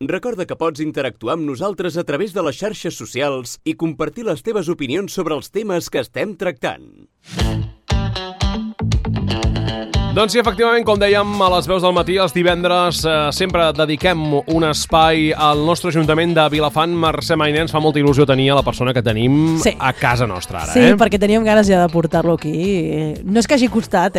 Recorda que pots interactuar amb nosaltres a través de les xarxes socials i compartir les teves opinions sobre els temes que estem tractant. Doncs sí, efectivament, com dèiem, a les veus del matí, els divendres, sempre dediquem un espai al nostre Ajuntament de Vilafant. Mercè Mainer, ens fa molta il·lusió tenir a la persona que tenim a casa nostra ara. Sí, perquè teníem ganes ja de portar-lo aquí. No és que hagi costat,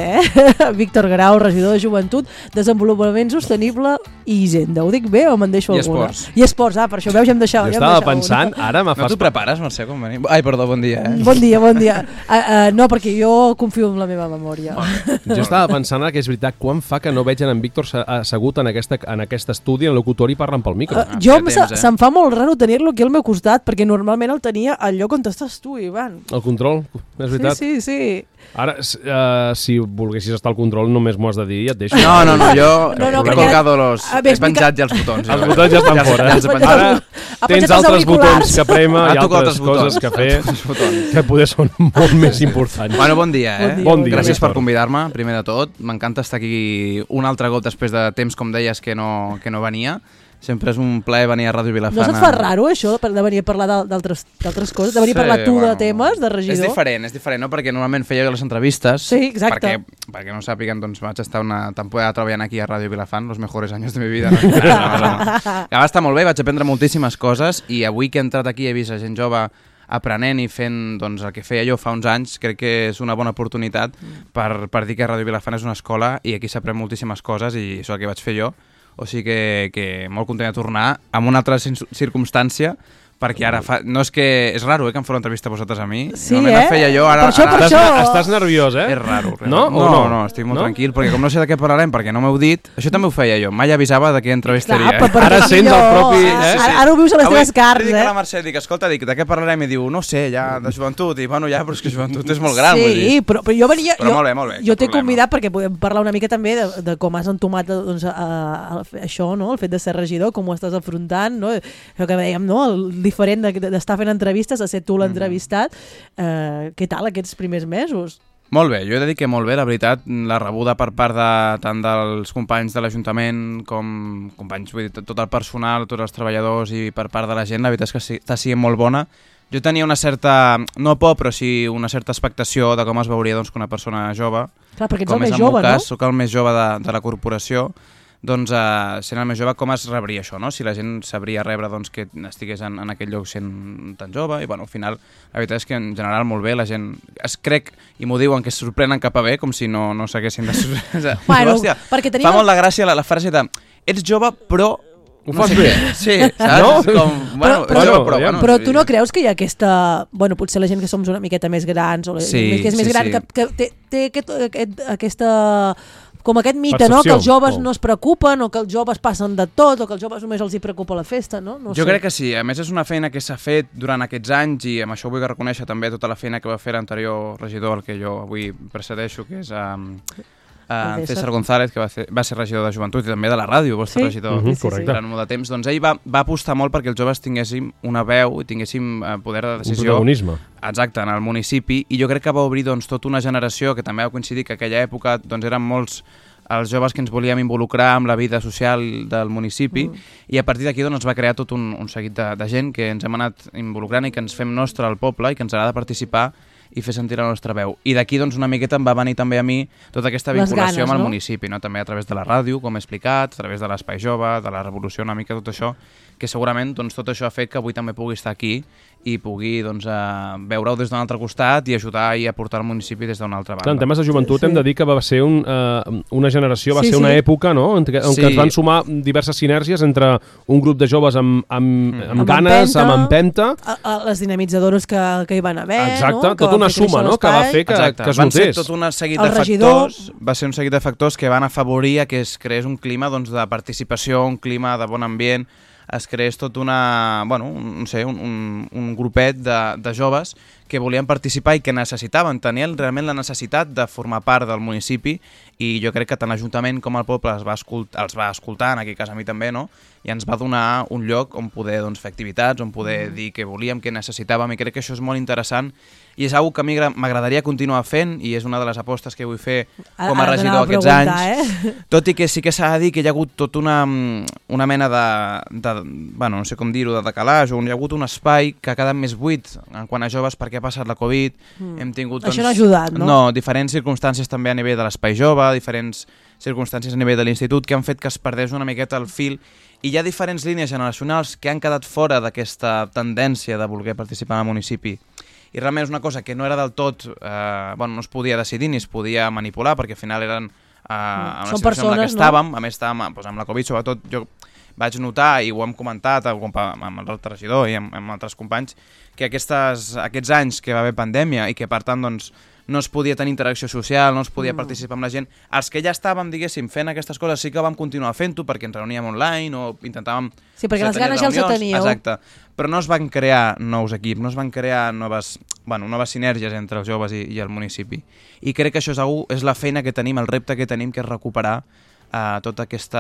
Víctor Grau, regidor de Joventut, Desenvolupament Sostenible i Hisenda. Ho dic bé o me'n deixo alguna? I esports, per això veus, ja em deixava. Jo estava pensant, ara me fas... No t'ho prepares, Mercè, com venim? Ai, perdó, bon dia, Bon dia. No, perquè jo confio en la meva memòria. Jo estava pensant que és veritat, quan fa que no veig en Víctor assegut en aquest estudi, en locutori, parlant pel micro. Se'm fa molt raro tenir-lo aquí al meu costat, perquè normalment el tenia al lloc on estàs tu, Ivan. El control, és veritat. Sí. Ara, si volguessis estar al control, només m'ho has de dir i et deixo. No, jo he colgado he penjat ja els botons. Els botons ja estan fora. Ara tens altres botons que prémer i altres coses que fer que poder són molt més importants. Bueno, bon dia, Bon dia. Gràcies per convidar-me, primer de tot. M'encanta estar aquí un altre cop després de temps, com deies, que no venia. Sempre és un plaer venir a Ràdio Vilafant. No se't fa raro, això, de venir a parlar d'altres coses? De venir a parlar tu de temes, de regidor? És diferent, no? Perquè normalment feia jo les entrevistes. Sí, exacte. Perquè no sàpiguen, doncs vaig estar una temporada treballant aquí a Ràdio Vilafant, los mejores años de mi vida. Que va estar molt bé, vaig aprendre moltíssimes coses i avui que he entrat aquí he vist a gent jove aprenent i fent doncs, el que feia jo fa uns anys, crec que és una bona oportunitat per dir que Ràdio Vilafant és una escola i aquí s'aprèn moltíssimes coses i això és el que vaig fer jo. O sigui que molt content de tornar amb una altra circumstància, perquè ara no és que... És raro, que em feu l'entrevista a vosaltres a mi. Sí, la feia jo, ara... Per això. Estàs nerviós, És raro. No? No, estic molt tranquil, perquè com no sé de què parlarem, perquè no m'heu dit... Això també ho feia jo, mai avisava de què entrevistaria. Ara sents el propi... Ara ho vius a les teves carns, Dic a la Mercè, escolta, de què parlarem? I diu, no sé, ja, de joventut. I bueno, ja, però és que joventut és molt gran. Sí, però jo venia... Però molt bé. Jo t'he convidat perquè podem parlar una mica també de com has entomat això, no? El fet de ser regidor, com ho estàs afrontant, no? Això que dèiem, no? El diferent d'estar fent entrevistes, a ser tu l'entrevistat. Què tal aquests primers mesos? Molt bé, jo he de dir que molt bé, la veritat, la rebuda per part tant dels companys de l'Ajuntament com companys, vull dir, tot el personal, tots els treballadors i per part de la gent, la veritat és que està sent molt bona. Jo tenia una certa, no por, però sí una certa expectació de com es veuria doncs, que una persona jove. Clar, perquè ets el més jove, no? Soc el més jove de la corporació. Doncs sent el més jove, com es rebria això, no? Si la gent sabria rebre doncs, que estigués en aquell lloc sent tan jove, i bueno, al final la veritat és que en general molt bé, la gent es crec, i m'ho diuen, que es sorprenen cap a bé, com si no s'haguessin de sorprendre. Bueno, hòstia, fa molt de gràcia la frase de ets jove però... Ho fas bé. Sí, saps? No? Però tu no creus que hi ha aquesta... Bueno, potser la gent que som una miqueta més grans, o que és més gran, que té aquesta... Com aquest mite, no? Que els joves no es preocupen, o que els joves passen de tot, o que els joves només els hi preocupa la festa, no? Jo crec que sí. A més, és una feina que s'ha fet durant aquests anys i amb això vull reconèixer també tota la feina que va fer l'anterior regidor, el que jo avui precedeixo, que és César González, que va ser regidor de Joventut i també de la ràdio, vostre regidor durant molt de temps. Doncs ell va apostar molt perquè els joves tinguéssim una veu i tinguéssim poder de decisió. Un protagonisme. Exacte, en el municipi, i jo crec que va obrir doncs, tota una generació que també va coincidir que aquella època doncs, eren molts els joves que ens volíem involucrar amb la vida social del municipi i a partir d'aquí doncs, es va crear tot un seguit de gent que ens hem anat involucrant i que ens fem nostre al poble i que ens agrada participar i fer sentir la nostra veu. I d'aquí doncs, una miqueta em va venir també a mi tota aquesta vinculació amb el municipi, no? També a través de la ràdio, com he explicat, a través de l'Espai Jove, de la Revolució, una mica tot això, que segurament doncs, tot això ha fet que avui també pugui estar aquí i pugui doncs, veure-ho des d'un altre costat i ajudar i aportar al municipi des d'una altra banda. En temes de joventut hem de dir que va ser una generació, va ser una època, no? en què es van sumar diverses sinergies entre un grup de joves amb ganes, amb empenta. Les dinamitzadores que hi van haver. Exacte, tota una suma, no? Que va fer que es notés. Van ser tot un seguit de factors, va ser un seguit de factors que van afavorir que es creés un clima doncs, de participació, un clima de bon ambient, es creés tot un grupet de joves que volien participar i que necessitaven, tenien realment la necessitat de formar part del municipi, i jo crec que tant l'Ajuntament com el poble els va escoltar, en aquest cas a mi també, no? I ens va donar un lloc on poder fer activitats, on poder dir què volíem, què necessitàvem, i crec que això és molt interessant i és una cosa que a mi m'agradaria continuar fent, i és una de les apostes que vull fer com a regidor aquests anys, tot i que sí que s'ha de dir que hi ha hagut tot una mena no sé com dir-ho, de decalaix, on hi ha hagut un espai que ha quedat més buit en quant a joves perquè ha passat la Covid, hem tingut... Això no ha ajudat, no? No, diferents circumstàncies també a nivell de l'espai jove, diferents circumstàncies a nivell de l'institut que han fet que es perdés una miqueta el fil, i hi ha diferents línies generacionals que han quedat fora d'aquesta tendència de voler participar en el municipi. I realment és una cosa que no era del tot... no es podia decidir ni es podia manipular, perquè al final eren en una situació en la que estàvem, a més estàvem amb la Covid, sobretot jo vaig notar, i ho hem comentat amb el regidor i amb altres companys, que aquests anys que va haver pandèmia i que per tant no es podia tenir interacció social, no es podia participar amb la gent, els que ja estàvem, diguéssim, fent aquestes coses sí que vam continuar fent-ho perquè ens reuníem online o intentàvem... Sí, perquè les ganes ja els teníeu. Exacte, però no es van crear nous equips, no es van crear noves sinergies entre els joves i el municipi. I crec que això és la feina que tenim, el repte que tenim, que és recuperar tot aquest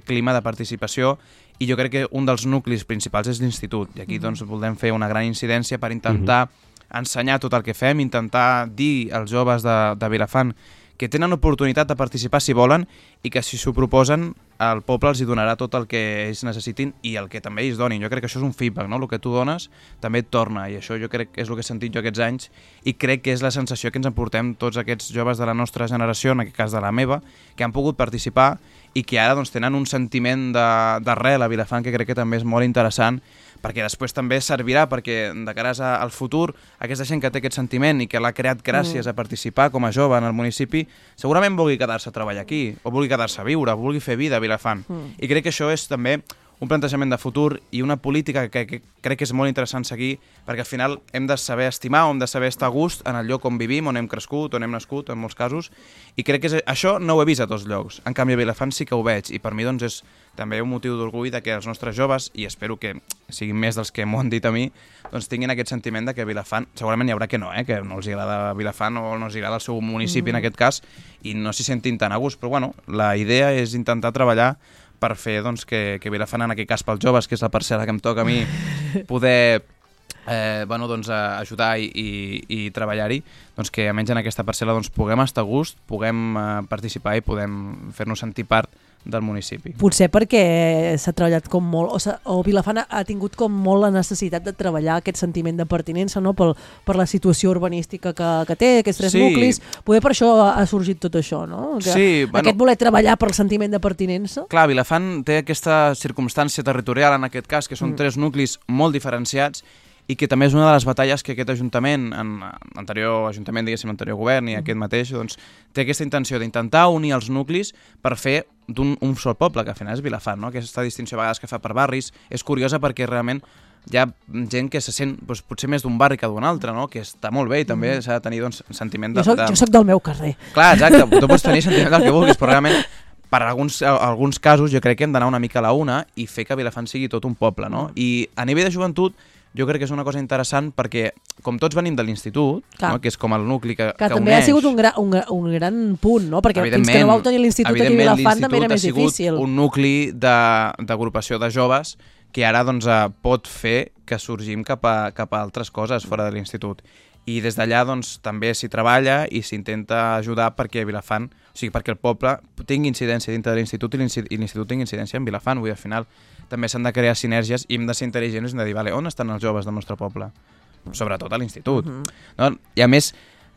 clima de participació, i jo crec que un dels nuclis principals és l'institut, i aquí volem fer una gran incidència per intentar ensenyar tot el que fem, intentar dir als joves de Vilafant que tenen oportunitat de participar si volen, i que si s'ho proposen el poble els hi donarà tot el que ells necessitin i el que també ells donin. Jo crec que això és un feedback, no? El que tu dones també et torna, i això jo crec que és el que he sentit jo aquests anys, i crec que és la sensació que ens emportem tots aquests joves de la nostra generació, en aquest cas de la meva, que han pogut participar i que ara tenen un sentiment d'arrel a Vilafant que crec que també és molt interessant, perquè després també servirà perquè de cara al futur aquesta gent que té aquest sentiment i que l'ha creat gràcies a participar com a jove en el municipi, segurament vulgui quedar-se a treballar aquí, o vulgui quedar-se a viure, o vulgui fer vida a Vilafant. I crec que això és també un plantejament de futur i una política que crec que és molt interessant seguir, perquè al final hem de saber estimar, hem de saber estar a gust en el lloc on vivim, on hem crescut, on hem nascut, en molts casos, i crec que això no ho he vist a tots llocs. En canvi, a Vilafant sí que ho veig, i per mi és també un motiu d'orgull que els nostres joves, i espero que siguin més dels que m'ho han dit a mi, tinguin aquest sentiment de que Vilafant, segurament hi haurà que no els agrada Vilafant o no els agrada el seu municipi en aquest cas, i no s'hi sentin tan a gust, però la idea és intentar treballar per fer que Vilafant, en aquest cas pels joves, que és la parcel·la que em toca a mi, poder ajudar i treballar-hi, que almenys en aquesta parcel·la puguem estar a gust, puguem participar i podem fer-nos sentir part del municipi. Potser perquè s'ha treballat com molt, o Vilafant ha tingut com molt la necessitat de treballar aquest sentiment de pertinença, no? Per la situació urbanística que té, aquests tres nuclis, poder per això ha sorgit tot això, no? Aquest voler treballar per el sentiment de pertinença. Clar, Vilafant té aquesta circumstància territorial, en aquest cas, que són tres nuclis molt diferenciats, i que també és una de les batalles que aquest Ajuntament, l'anterior Ajuntament, diguéssim, l'anterior govern i aquest mateix, té aquesta intenció d'intentar unir els nuclis per fer d'un sol poble, que al final és Vilafant, no? Aquesta distinció a vegades que fa per barris és curiosa perquè realment hi ha gent que se sent potser més d'un barri que d'un altre, no? Que està molt bé i també s'ha de tenir sentiment de... Jo soc del meu carrer. Clar, exacte, tu pots tenir sentiment del que vulguis, però realment per alguns casos jo crec que hem d'anar una mica a la una i fer que Vilafant sigui tot un poble, no? I a nivell de joventut jo crec que és una cosa interessant perquè, com tots venim de l'institut, no? Que és com el nucli que també uneix... ha sigut un gran punt, no? Perquè fins que no vau tenir l'institut aquí a Vilafant també era més difícil. Un nucli d'agrupació de joves que ara pot fer que sorgim cap a altres coses fora de l'institut. I des d'allà també s'hi treballa i s'intenta ajudar perquè Vilafant, o sigui, perquè el poble tingui incidència dintre de l'institut i l'institut tingui incidència en Vilafant. Vull dir, al final també s'han de crear sinergies i hem de ser intel·ligents i hem de dir, vale, on estan els joves del nostre poble? Sobretot a l'institut. No? I a més,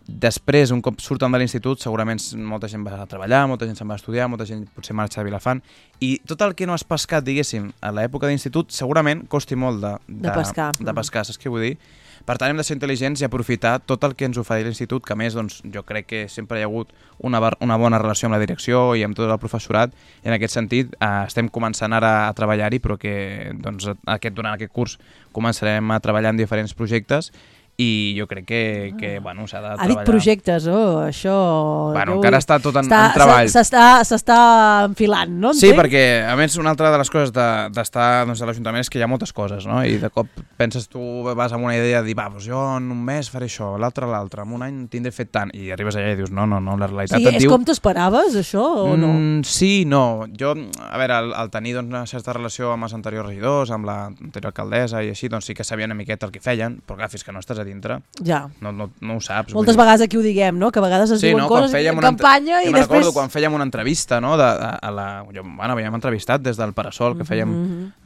després, un cop surten de l'institut, segurament molta gent va a treballar, molta gent se'n va a estudiar, molta gent potser marxa a Vilafant, i tot el que no has pescat, diguéssim, a l'època d'institut, segurament costi molt de pescar, saps què vull dir? Per tant, hem de ser intel·ligents i aprofitar tot el que ens ofereix l'institut, que a més jo crec que sempre hi ha hagut una bona relació amb la direcció i amb tot el professorat, i en aquest sentit estem començant ara a treballar-hi, però que durant aquest curs començarem a treballar en diferents projectes i jo crec que bueno, s'ha de treballar. Ha dit projectes, això... Bueno, encara està tot en treball. S'està enfilant, no? Sí, perquè, a més, una altra de les coses d'estar doncs, a l'Ajuntament és que hi ha moltes coses, no? I de cop penses, tu vas amb una idea de dir, doncs jo en un mes faré això, l'altre, en un any tindré fet tant, i arribes allà i dius, no, la realitat et diu... Sí, és com t'ho esperaves, això, o no? Sí, no. Jo, a veure, al tenir doncs, una certa relació amb els anteriors regidors, amb l'anterior alcaldessa i així, doncs sí que sabia una miqueta el que feien, però clar, fins que no estàs a dintre, ja. No ho saps. Moltes vegades aquí ho diguem, no? Que a vegades es diuen coses en campanya i després... recordo quan fèiem una entrevista, no? Havíem entrevistat des del Parasol, que fèiem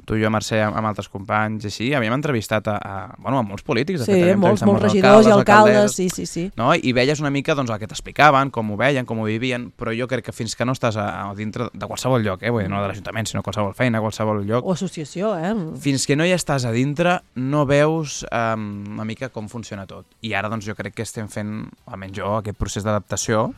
tu i jo, Mercè, amb altres companys, i així, havíem entrevistat a molts polítics. Sí, molts regidors i alcaldes, sí. No? I veies una mica doncs, el que t'explicaven, com ho veien, com ho vivien, però jo crec que fins que no estàs a dintre de qualsevol lloc, no de l'Ajuntament, sinó qualsevol feina, qualsevol lloc... O associació, Fins que no hi estàs a dintre, no veus una mica com funciona tot. I ara doncs, jo crec que estem fent, almenys jo, aquest procés d'adaptació,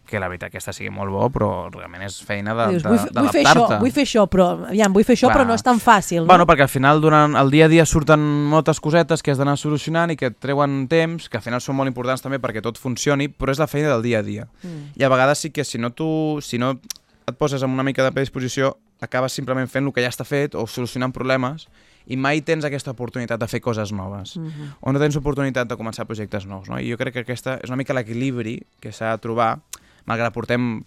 que la veritat que està sigui molt bo, però realment és feina d'adaptar-te. Vull fer això, però no és tan fàcil. No? Bueno, perquè al final, durant el dia a dia surten moltes cosetes que has d'anar solucionant i que et treuen temps, que al final són molt importants també perquè tot funcioni, però és la feina del dia a dia. I a vegades sí que si no et poses amb una mica de predisposició, acabes simplement fent el que ja està fet o solucionant problemes i mai tens aquesta oportunitat de fer coses noves o no tens oportunitat de començar projectes nous, no? I jo crec que aquesta és una mica l'equilibri que s'ha de trobar, malgrat portem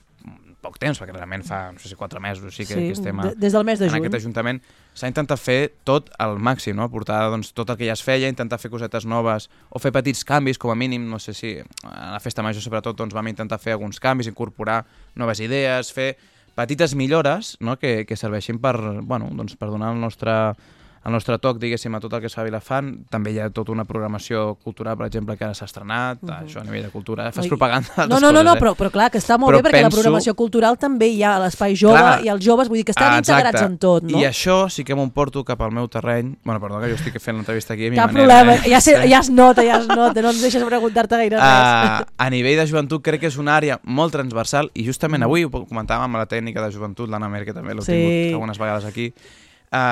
poc temps, perquè realment fa, no sé si 4 mesos sí que estem des del mes de juny. En aquest Ajuntament, s'ha intentat fer tot al màxim, no? Portar doncs, tot el que ja es feia, intentar fer cosetes noves o fer petits canvis, com a mínim, no sé si a la festa major sobretot doncs, vam intentar fer alguns canvis, incorporar noves idees, fer petites millores, no? que serveixin per donar el nostre toc, diguéssim, a tot el que es fa a Vilafant. També hi ha tota una programació cultural, per exemple, que ara s'ha estrenat, això a nivell de cultura. Fas propaganda d'altres coses. Però clar, que està molt bé, perquè la programació cultural també hi ha a l'Espai Jove i els joves, vull dir que estan integrats en tot, no? I això sí que m'ho porto cap al meu terreny. Bueno, perdó, que jo estic fent l'entrevista aquí a mi manera. Cap problema, ja es nota, no ens deixes preguntar-te gaire res. A nivell de joventut crec que és una àrea molt transversal i justament avui ho comentàvem amb la tècnica de joventut, l'Anna Mer, que també l'he tingut algunes vegades aquí.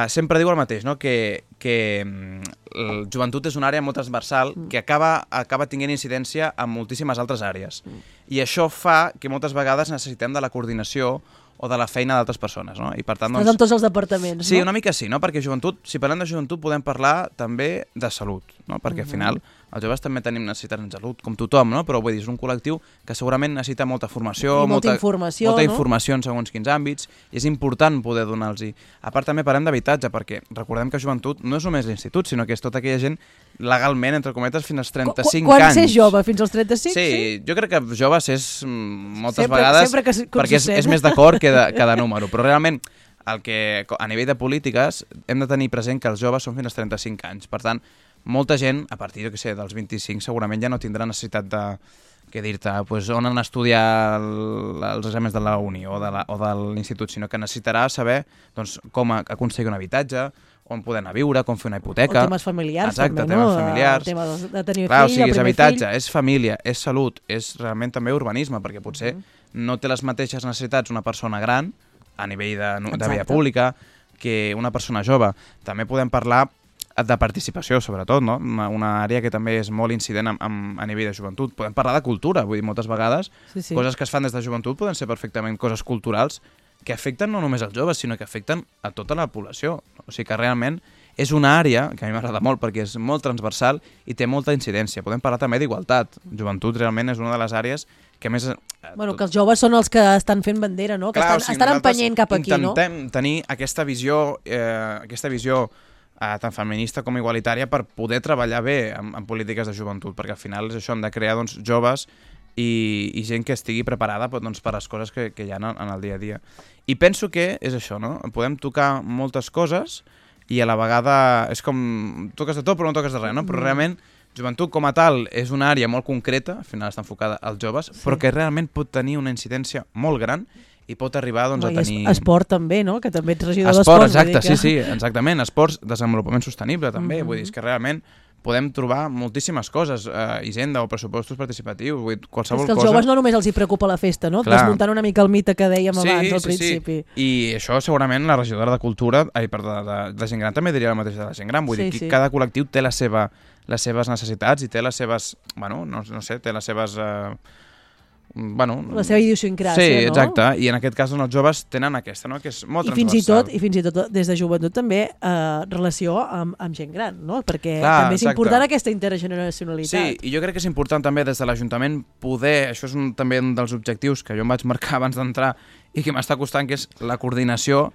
Sempre diu el mateix, no? que el joventut és una àrea molt transversal que acaba tinguent incidència en moltíssimes altres àrees. I això fa que moltes vegades necessitem de la coordinació o de la feina d'altres persones, no? I per tant, estàs en tots els departaments, no? Sí, una mica sí, no? Perquè joventut, si parlem de joventut, podem parlar també de salut, no? Perquè al final els joves també tenim necessitats en salut, com tothom, no? Però vull dir, és un col·lectiu que segurament necessita molta formació, molta informació en segons quins àmbits, i és important poder donar-los-hi. A part també parlem d'habitatge, perquè recordem que joventut no és només l'institut, sinó que és tota aquella gent legalment, entre cometes, fins als 35 anys. Quan ser jove? Fins als 35? Sí, jo crec que joves és moltes vegades perquè és més d'acord que de número, però realment a nivell de polítiques hem de tenir present que els joves són fins als 35 anys. Per tant, molta gent, a partir dels 25, segurament ja no tindrà necessitat de dir-te on han d'estudiar els exàmens de la uni o de l'institut, sinó que necessitarà saber com aconseguir un habitatge, on poder anar a viure, com fer una hipoteca. O temes familiars, exacte, també, temes familiars. El tema de tenir clar, fill, és habitatge, és família, és salut, és realment també urbanisme, perquè potser no té les mateixes necessitats una persona gran a nivell de via pública que una persona jove. També podem parlar de participació, sobretot, no? Una àrea que també és molt incident a nivell de joventut. Podem parlar de cultura, vull dir, moltes vegades coses que es fan des de joventut poden ser perfectament coses culturals que afecten no només els joves, sinó que afecten a tota la població. O sigui que realment és una àrea que a mi m'agrada molt perquè és molt transversal i té molta incidència. Podem parlar també d'igualtat. Joventut realment és una de les àrees que més... que els joves són els que estan fent bandera, no? Que estan empenyent cap aquí, no? Intentem tenir aquesta visió tant feminista com igualitària per poder treballar bé en polítiques de joventut, perquè al final és això, hem de crear joves i gent que estigui preparada per les coses que hi ha en el dia a dia. I penso que és això, no? Podem tocar moltes coses i a la vegada és com toques de tot però no toques de res, no? Però realment joventut com a tal és una àrea molt concreta, al final està enfocada als joves, però que realment pot tenir una incidència molt gran i pot arribar a tenir... Esport també, no? Que també ets regidor d'esport. Esport, exacte, sí, exactament. Esports, desenvolupament sostenible també, vull dir, és que realment podem trobar moltíssimes coses, hisenda o pressupostos participatius, qualsevol cosa. És que als joves no només els hi preocupa la festa, no? Desmuntant una mica el mite que dèiem abans al principi. I això segurament la regidora de Cultura, de gent gran també diria el mateix de la gent gran, vull dir que cada col·lectiu té les seves necessitats i té les seves, bueno, no sé, té les seves... la seva idiosincràsia, no? Sí, exacte, i en aquest cas els joves tenen aquesta, no? Que és molt transversal. I fins i tot des de joventut també relació amb gent gran, no? Perquè també és important aquesta intergeneracionalitat. Sí, i jo crec que és important també des de l'Ajuntament poder, això és també un dels objectius que jo em vaig marcar abans d'entrar i que m'està costant, que és la coordinació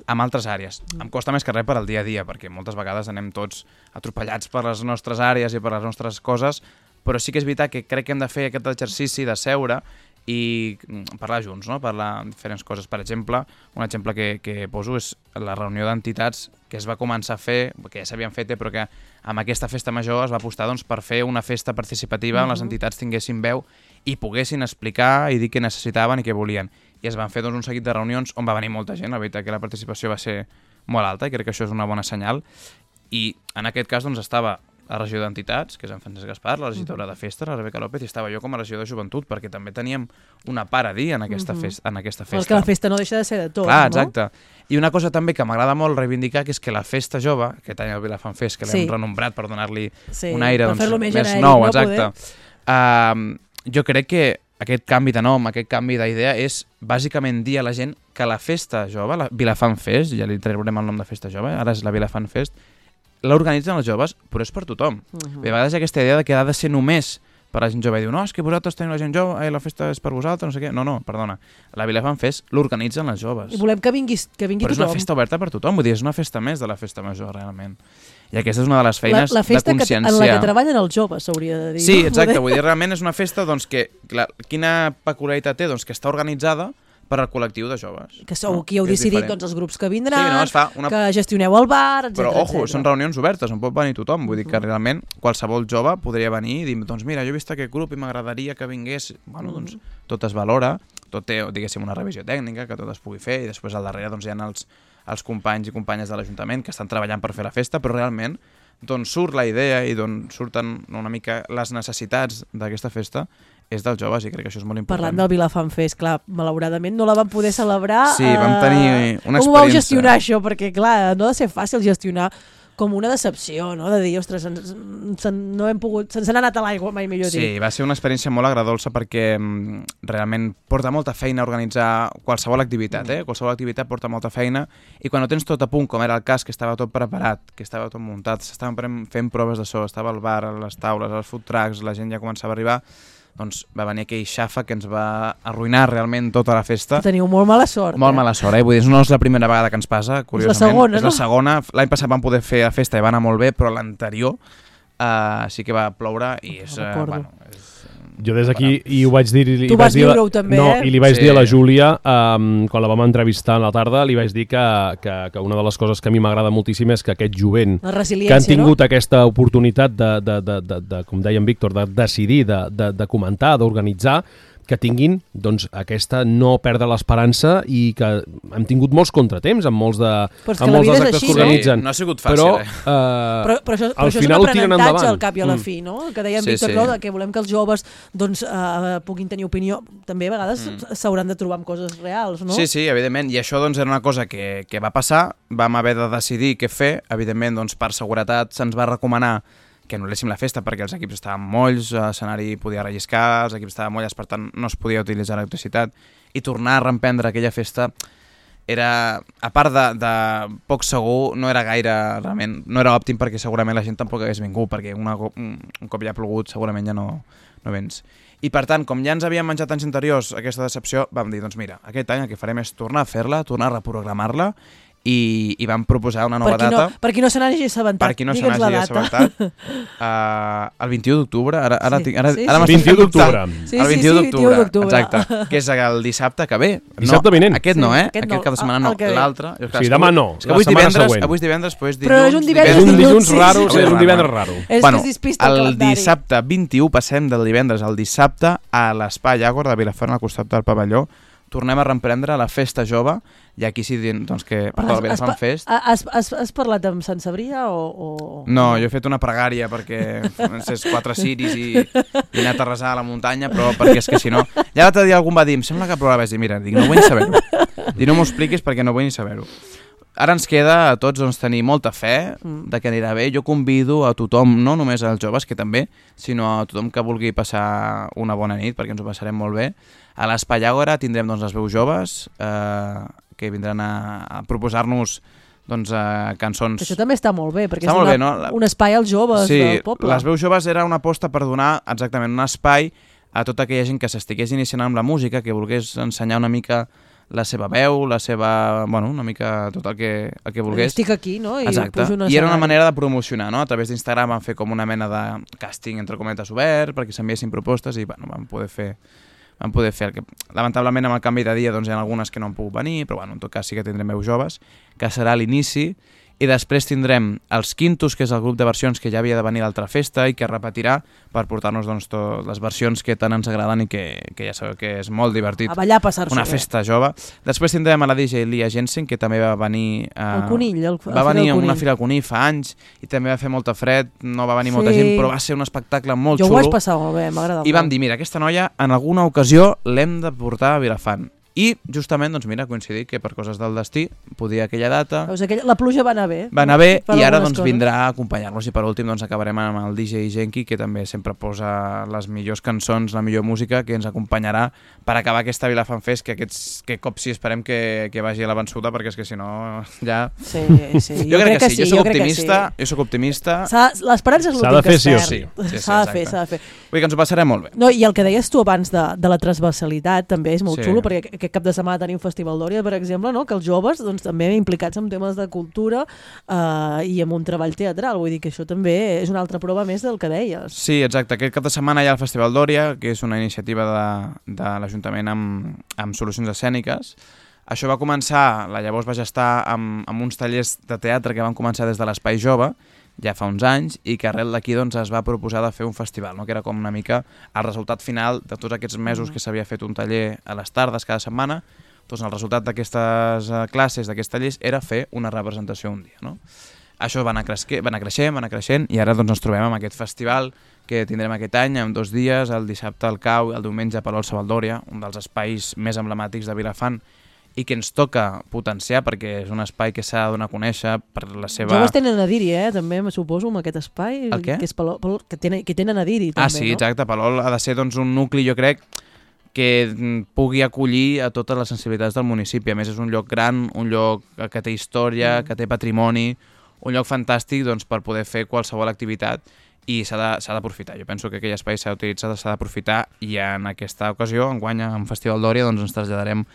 amb altres àrees. Em costa més que res per al dia a dia, perquè moltes vegades anem tots atropellats per les nostres àrees i per les nostres coses, però sí que és veritat que crec que hem de fer aquest exercici de seure i parlar junts, no? Parlar diferents coses. Per exemple, un exemple que poso és la reunió d'entitats que es va començar a fer, que ja s'havien fet, però que amb aquesta festa major es va apostar per fer una festa participativa on les entitats tinguessin veu i poguessin explicar i dir què necessitaven i què volien. I es van fer un seguit de reunions on va venir molta gent. La veritat que la participació va ser molt alta i crec que això és una bona senyal. I en aquest cas estava la regidora d'entitats, que és en Francesc Gaspar, la regidora de festes, la Rebeca López, i estava jo com a regidora de joventut, perquè també teníem una part a dir en aquesta festa. Perquè la festa no deixa de ser de tot, clar, exacte. I una cosa també que m'agrada molt reivindicar, que és que la festa jove, aquest any el Vilafant Fest, que l'hem renombrat per donar-li un aire més nou, exacte. Jo crec que aquest canvi de nom, aquest canvi d'idea és bàsicament dir a la gent que la festa jove, la Vilafant Fest, ja li traurem el nom de festa jove, ara és la Vilafant Fest, l'organitzen els joves, però és per tothom. A vegades hi ha aquesta idea que ha de ser només per a la gent jove. I diu, no, és que vosaltres teniu la gent jove, la festa és per vosaltres, no sé què. No, perdona. La Vilafant Fest l'organitzen les joves. I volem que vingui tothom. Però és una festa oberta per tothom, vull dir, és una festa més de la festa major, realment. I aquesta és una de les feines de consciència. La festa en la que treballen els joves, s'hauria de dir. Sí, exacte, vull dir, realment és una festa que, quina peculiaritat té? Que està organitzada per al col·lectiu de joves. Que sou qui heu decidit els grups que vindran, que gestioneu el bar, etc. Però, ojo, són reunions obertes, on pot venir tothom. Vull dir que realment qualsevol jove podria venir i dir, doncs mira, jo he vist aquest grup i m'agradaria que vingués. Bueno, doncs tot es valora, tot té, diguéssim, una revisió tècnica, que tot es pugui fer, i després al darrere doncs hi ha els companys i companyes de l'Ajuntament que estan treballant per fer la festa, però realment d'on surt la idea i d'on surten una mica les necessitats d'aquesta festa és dels joves, i crec que això és molt important. Parlant del Vilafant Fest, clar, malauradament no la vam poder celebrar. Sí, vam tenir una experiència. Com ho vau gestionar, això? Perquè, clar, no ha de ser fàcil gestionar com una decepció, no? De dir, ostres, no hem pogut... Se'ns n'ha anat a l'aigua, mai millor dit. Sí, va ser una experiència molt agradolça perquè realment porta molta feina organitzar qualsevol activitat, Qualsevol activitat porta molta feina, i quan ho tens tot a punt, com era el cas, que estava tot preparat, que estava tot muntat, s'estaven fent proves de so, estava el bar, les taules, els food trucks, la gent ja començava a arribar, doncs va venir aquell xafa que ens va arruïnar realment tota la festa. Teniu molt mala sort. Molt mala sort, Vull dir, no és la primera vegada que ens passa, curiosament. És la segona, És la segona. L'any passat vam poder fer la festa i va anar molt bé, però l'anterior sí que va ploure i és... Jo des d'aquí i ho vaig dir... Tu vas viure-ho també, i li vaig dir a la Júlia, quan la vam entrevistar a la tarda, li vaig dir que una de les coses que a mi m'agrada moltíssim és que aquest jovent que han tingut aquesta oportunitat de, com deia en Víctor, de decidir, de comentar, d'organitzar, que tinguin doncs, aquesta no perdre l'esperança, i que hem tingut molts contratemps amb molts dels actes que organitzen. No ha sigut fàcil, però això és un aprenentatge al cap i a la fi, no? Que deia en Víctor, que volem que els joves puguin tenir opinió. També a vegades s'hauran de trobar amb coses reals, no? Sí, evidentment, i això era una cosa que va passar, vam haver de decidir què fer, evidentment per seguretat se'ns va recomanar que anul·léssim la festa perquè els equips estaven molls, l'escenari podia relliscar, els equips estaven molls, per tant no es podia utilitzar l'electricitat, i tornar a reemprendre aquella festa era, a part de poc segur, no era gaire, realment, no era òptim, perquè segurament la gent tampoc hagués vingut, perquè un cop ja ha plogut segurament ja no vens. I per tant, com ja ens havíem menjat anys anteriors aquesta decepció, vam dir, doncs mira, aquest any el que farem és tornar a fer-la, tornar a reprogramar-la, i vam proposar una nova data. Per qui no se n'hagi assabentat. Per qui no se n'hagi assabentat. El 21 d'octubre. Ara 21 d'octubre. El 21 d'octubre, exacte. Que és el dissabte que ve. Dissabte vinent. Aquest no, Aquest cap de setmana no. L'altre. Sí, demà no. Avui és divendres, però és dilluns. Però és un dilluns raro, és un divendres raro. El dissabte 21 passem del divendres al dissabte a l'Espai Agor de Vilafant, al costat del pavelló. tornem a reemprendre la festa jove, i aquí sí doncs, que el Vilafant Fest... Has parlat amb Sant Cebrià o...? No, jo he fet una pregària perquè és 4 ciris i he anat a resar a la muntanya, però perquè és que si no... Ja l'altre dia algú em va dir, em sembla que plourà, vaig dir, mira, no vull ni saber-ho. No m'ho expliquis perquè no vull ni saber-ho. Ara ens queda a tots tenir molta fe de que anirà bé. Jo convido a tothom, no només als joves, que també, sinó a tothom que vulgui passar una bona nit, perquè ens ho passarem molt bé. A l'Espai Àgora tindrem les veus joves, que vindran a proposar-nos cançons... Això també està molt bé, perquè és un espai als joves del poble. Sí, les veus joves era una aposta per donar exactament un espai a tota aquella gent que s'estigués iniciant amb la música, que volgués ensenyar una mica la seva veu, la seva... Bueno, una mica tot el que volgués. Estic aquí, no? Exacte. I era una manera de promocionar, no? A través d'Instagram vam fer com una mena de càsting, entre cometes, obert, perquè s'enviessin propostes i, bueno, vam poder fer el que... Lamentablement, amb el canvi de dia, doncs hi ha algunes que no han pogut venir, però, bueno, en tot cas sí que tindrem veus joves, que serà l'inici, i després tindrem els Quintos, que és el grup de versions que ja havia de venir a l'altra festa i que repetirà per portar-nos totes les versions que tant ens agraden i que ja sabeu que és molt divertit. A ballar, passar-s'ho una festa jove. Després tindrem a la DJ Lia Jensen, que també va venir... El Conill. Va venir a una fira al Conill fa anys i també va fer molta fred, no va venir molta gent, però va ser un espectacle molt xulo. Jo ho vaig passar molt bé, m'agrada molt. I vam dir, mira, aquesta noia en alguna ocasió l'hem de portar a Vilafant. I justament, doncs mira, coincidir que per coses del destí podia aquella data... La pluja va anar bé. Va anar bé i ara doncs vindrà a acompanyar-nos i per últim doncs acabarem amb el DJ Genki, que també sempre posa les millors cançons, la millor música, que ens acompanyarà per acabar aquesta Vilafant Fest, que cop sí esperem que vagi a la vençuda, perquè és que si no ja... Sí. Jo crec que sí, jo soc optimista. L'esperança és l'últim que es perd. S'ha de fer. Vull dir que ens ho passarem molt bé. No, i el que deies tu abans de la transversalitat també és molt xulo, perquè aquest cap de setmana tenim Festival d'Òria, per exemple, no? Que els joves doncs, també implicats en temes de cultura i amb un treball teatral. Vull dir que això també és una altra prova més del que deies. Sí, exacte. Aquest cap de setmana hi ha el Festival d'Òria, que és una iniciativa de l'Ajuntament amb solucions escèniques. Això va començar, llavors vaig estar amb uns tallers de teatre que van començar des de l'Espai Jove, ja fa uns anys, i que arrel d'aquí doncs, es va proposar de fer un festival, no? Que era com una mica el resultat final de tots aquests mesos que s'havia fet un taller a les tardes cada setmana. Doncs el resultat d'aquestes classes, d'aquests tallers, era fer una representació un dia, no? Això va anar creixent, i ara doncs, ens trobem amb aquest festival que tindrem aquest any, en 2 dies, el dissabte al Cau i el diumenge a Palol Savaldòria, un dels espais més emblemàtics de Vilafant, i que ens toca potenciar perquè és un espai que s'ha de donar a conèixer per la seva... Joves tenen a dir-hi, també, me suposo, amb aquest espai. El què? Que és Palol, que tenen a dir-hi, també, sí, exacte. Palol ha de ser doncs, un nucli, jo crec, que pugui acollir a totes les sensibilitats del municipi. A més, és un lloc gran, un lloc que té història, que té patrimoni, un lloc fantàstic doncs, per poder fer qualsevol activitat i s'ha d'aprofitar. Jo penso que aquell espai s'ha d'utilitzar, s'ha d'aprofitar, i en aquesta ocasió, enguany, en Festival d'Òria, doncs, ens traslladarem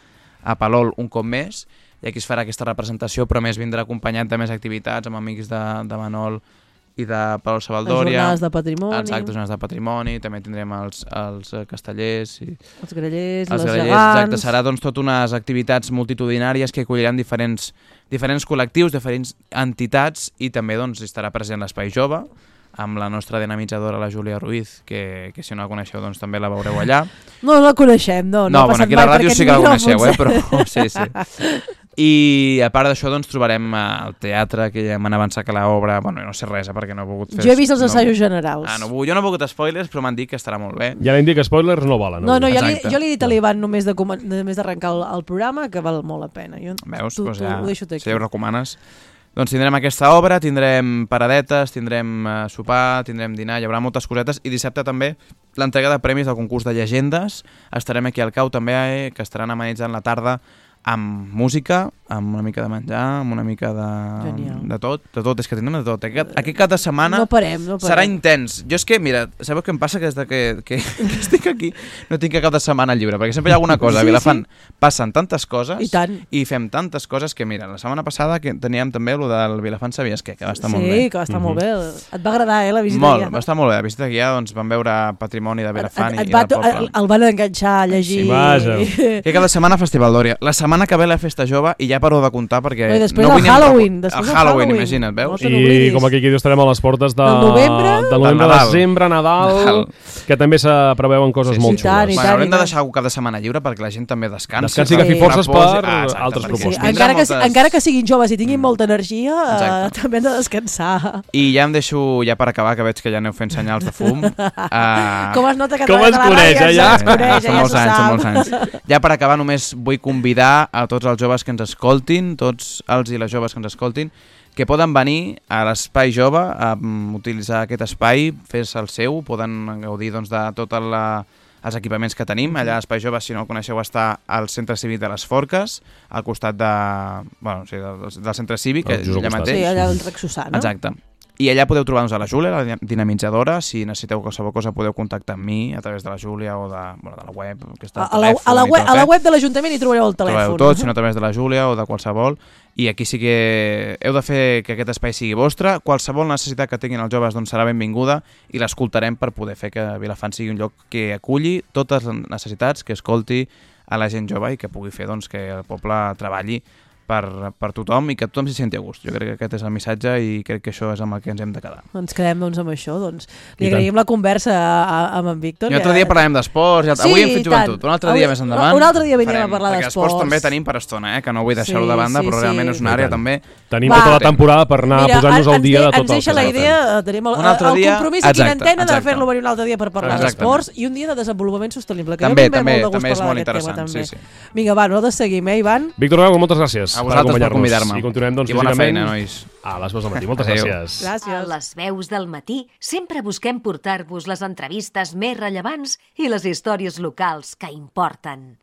a Palol un cop més, i aquí es farà aquesta representació, però més vindrà acompanyat de més activitats amb amics de Manol i de Palol Savaldòria. Les jornades de patrimoni. Exacte, jornades de patrimoni, també tindrem els castellers. Els grellers, les gegants. Exacte, serà doncs tot unes activitats multitudinàries que acolliran diferents col·lectius, diferents entitats, i també doncs estarà present l'Espai Jove, amb la nostra dinamitzadora, la Júlia Ruiz, que si no la coneixeu doncs també la veureu allà. No la coneixem, no. No, bueno, aquí a la ràdio sí que la coneixeu, però sí. I a part d'això doncs trobarem el teatre, que ja m'han avançat que l'obra, bueno, no sé res, perquè no he pogut fer... Jo he vist els assajos generals. Jo no he pogut spoilers, però m'han dit que estarà molt bé. Ja l'hem dit que spoilers no valen. No, jo li he dit a l'Ivan només d'arrencar el programa, que val molt la pena. Veus? Doncs ja, si ja ho recomanes. Doncs tindrem aquesta obra, tindrem paradetes, tindrem sopar, tindrem dinar, hi haurà moltes cosetes, i dissabte també l'entrega de premis del concurs de llegendes. Estarem aquí al Cau també, que estaran amenitzant la tarda amb música, amb una mica de menjar, amb una mica de tot, és que tindrem de tot. Aquest cap de setmana no parem. Serà intens. Jo és que, mira, sabeu què em passa? Que des que estic aquí no tinc cap de setmana lliure, perquè sempre hi ha alguna cosa. A Vilafant passen tantes coses i fem tantes coses que, mira, la setmana passada que teníem també el del Vilafant Sabies què, que va estar molt bé. Sí, que va estar molt bé. Et va agradar, la visita guiada? Molt, va estar molt bé. La visita guiada, doncs vam veure patrimoni de Vilafant i del poble. El van enganxar a llegir. Sí, aquest cap de setmana Festival d'Òria. La setmana que ve la Festa Jove, i ja ja paro de comptar perquè... I després el Halloween. El Halloween, imagina't, veus? I com aquí estarem a les portes del novembre, desembre, Nadal, que també se preveuen coses molt xules. Haurem de deixar cada setmana lliure perquè la gent també descansi. Descansi i agafi forces per altres propostes. Encara que siguin joves i tinguin molta energia, també han de descansar. I ja em deixo, ja per acabar, que veig que ja aneu fent senyals de fum. Com es nota que com es coneix, ja? Són molts anys. Ja per acabar només vull convidar a tots els joves que ens escoltin, tots els i les joves que ens escoltin, que poden venir a l'Espai Jove a utilitzar aquest espai, fer-se el seu, poden gaudir doncs, de tots els equipaments que tenim. Allà a l'Espai Jove, si no el coneixeu, està al Centre Cívic de les Forques, al costat del Centre Cívic, allà mateix. Sí, allà al Rec Susà, no? Exacte. I allà podeu trobar-nos a la Júlia, la dinamitzadora. Si necessiteu qualsevol cosa podeu contactar amb mi a través de la Júlia o de la web. Que està a la web de l'Ajuntament hi trobareu el telèfon. Trobeu tot, sinó a través de la Júlia o de qualsevol. I aquí sí que heu de fer que aquest espai sigui vostre. Qualsevol necessitat que tinguin els joves doncs, serà benvinguda i l'escoltarem per poder fer que Vilafant sigui un lloc que aculli totes les necessitats, que escolti a la gent jove i que pugui fer doncs, que el poble treballi per tothom i que tothom s'hi senti a gust. Jo crec que aquest és el missatge i crec que això és amb el que ens hem de quedar. Ens quedem doncs amb això. Li agraïm la conversa amb en Víctor. I un altre dia parlarem d'esports. Avui hem fet joventut, un altre dia més endavant. Un altre dia venim a parlar d'esports. Perquè esports també tenim per estona, que no vull deixar-ho de banda, però realment és una àrea també... Tenim tota la temporada per anar posant-nos al dia de tot el que ens deixa la idea, tenim el compromís aquí en antena de fer-lo venir un altre dia per parlar d'esports i un dia de desenvolupament sostenible. També és molt interessant. Vinga, va, nosaltres seguim, Ivan? Víctor Gago, moltes gràcies a vosaltres per convidar-me. I continuem, doncs, I bona feina, nois. A les veus del matí. Moltes gràcies. Gràcies. A les veus del matí sempre busquem portar-vos les entrevistes més rellevants i les històries locals que importen.